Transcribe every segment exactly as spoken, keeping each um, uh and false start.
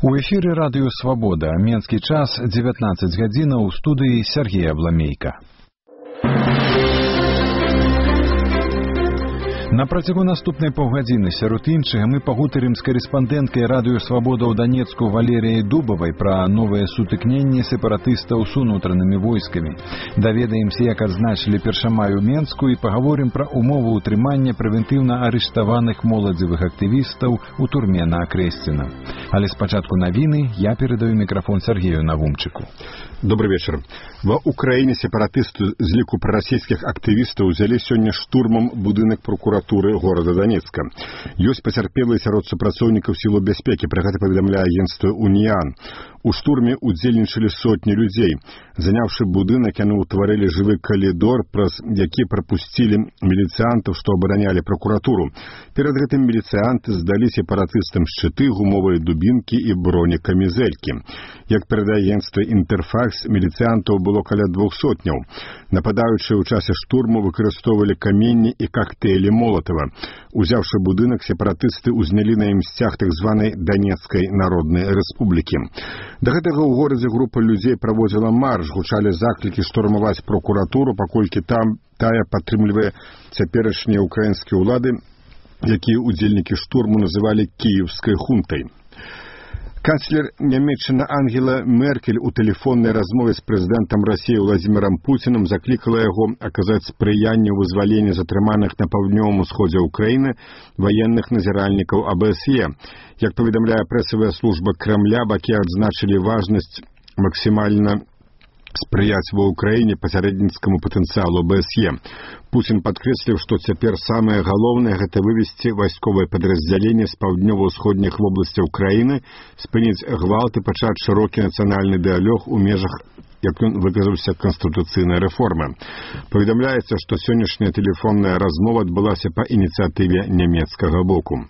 У эфире радио «Свобода». Менский час, девятнадцать гадзінаў, у студии Сергей Абламейко. На працягу наступнай паўгадзіны сярод іншага мы пагутарым з карэспандэнткай радыё «Свабода» ў Данецку Валерыяй Дубавай пра новыя сутыкненні сепаратыстаў з унутранымі войскамі. Даведаемся, як адзначылі першамай у Менску, і пагаворым пра умовы ўтрымання прэвентыўна арыштаваных моладзевых актывістаў у турме на Акрэсціна. Але спачатку навіны я перадаю мікрафон Сергею Навумчыку. Добрый вечер. Ва Украине сепаратысты з ліку прарасійскіх актывістаў узялі сёння штурмам будынак прокуратуры горада Донецка. Ёсць пацярпелыя сярод супрацоўнікаў сілаў бяспекі, пра гэта паведамляе агенцтва «Уніан». У штурме удзельнічалі сотні людзей. Заняўшы будынак, яны ўтварылі жывы калідор, праз які прапусцілі міліцыянтаў, што абаранялі прокуратуру. Перад гэтым міліцыянты здалі сепаратыстам шчыты, гумовыя дубінкі і бронекамізэлькі. Як перадае агенцтва «Інтэрфакс», міліцыянтаў было каля двух сотняў. Нападаючыя ў часе штурму выкарыстоўвалі каменні і коктейлі Молотова. Узяўшы будынак, сепаратысты ўзнялі на ім сцяг так званай Донецкай Народнай Рэспублікі. Да гэтага ў горадзе група людзей праводзіла марш, гучалі заклікі штурмаваць прокуратуру, паколькі там тая падтрымлівае цяперашнія украінскія ўлады, якія удзельнікі штурму называлі кіеўскай хунтай. Канцлер Нямецчыны Ангела Меркель у тэлефоннай размове з прэзідэнтам Расіі Владзімірам Пуцінам заклікала яго аказаць спрыянне ў вызваленні затрыманых на паўднёвым усходзе ўкраіны ваенных назіральнікаў А Бэ Эс Е. Як паведамляе прэсавая служба Крамля, бакі адзначылі важнасць максімальна спрыяць ва ўкраіне пасярэдніцкаму патэнцыялу Бэ Эс Е. Пуцін падкрэсліў, што цяпер самае галоўнае – гэта вывесці вайсковае падраздзяленне з паўднёва-ўсходніх вобласцяў краіны, спыніць гвалт і пачаць шырокі нацыянальны дыялог у межах, як ён выказаўся, канстытуцыйнай рэформы. Паведамляецца, што сённяшняя тэлефонная размова адбылася па ініцыятыве нямецкага боку.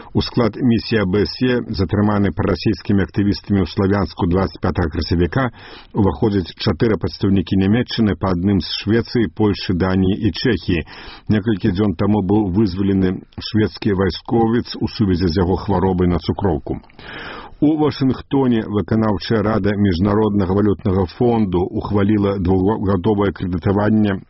У склад місіі А Бэ Эс Е, затрыманы прарасійскімі актывістамі ў Славянску двадцять пятага красавіка, уваходзяць чатыры прадстаўнікі Нямецчыны, па адным з Швецыі, Польшы, Даніі і Чэхіі. Некалькі дзён таму быў вызвалены шведскі вайсковец у сувязі з яго хваробай на цукроўку. У Вашынгтоне выканаўчая рада Міжнароднага валютнага фонду ухваліла двухгадовае крэдытаванне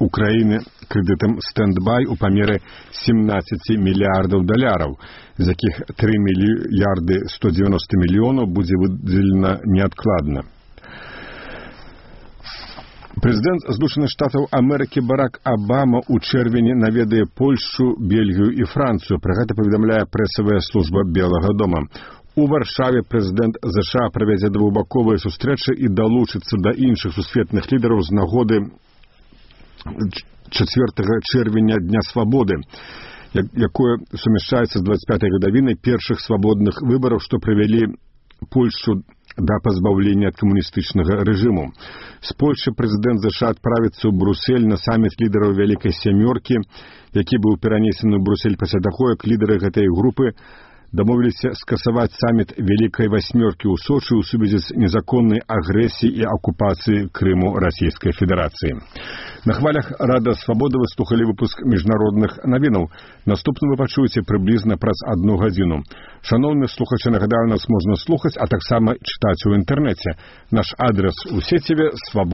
Украіны крэдытам «Стэндбай» у памеры семнадцать мільярдаў даляраў, з якіх тры мільярды сто дзевяносто мільёнаў будзе выдзелена неадкладна. Прэзідэнт Злучаных Штатаў Амерыкі Барак Абама ў чэрвені наведае Польшчу, Бельгію і Францыю. Пра гэта паведамляе прэсавая служба Белага дома. У Варшаве прэзідэнт Зэ Ша правядзе двухбаковыя сустрэчы і далучыцца да іншых сусветных лідараў з нагоды чацвёртага чэрвеня Дня Свабоды, якое сумяшчаецца з двадцять пятай гадавінай першых свабодных выбараў, што прывялі Польшчу да пазбаўлення ад камуністычнага рэжыму. З Польшчы прэзідэнт Зэ Ша адправіцца ў Бруссель на саміт лідараў Вялікай сямёркі, які быў перанесены ў Бруссель пасля таго, як лідары гэтай групы дамовіліся скасаваць саміт Вялікай васьмёркі ў Сочы ў сувязі з незаконнай агрэсіяй і акупацыяй Крыму Расійскай Федэрацыі. На хвалях Рада Свабоды вы слухалі выпуск міжнародных навінаў. Наступны вы пачуеце прыблізна праз адну гадзіну. Шаноўныя слухачы, нагадаю, нас можна слухаць, а таксама чытаць у інтэрнэце. Наш адрес у сеціве свабода.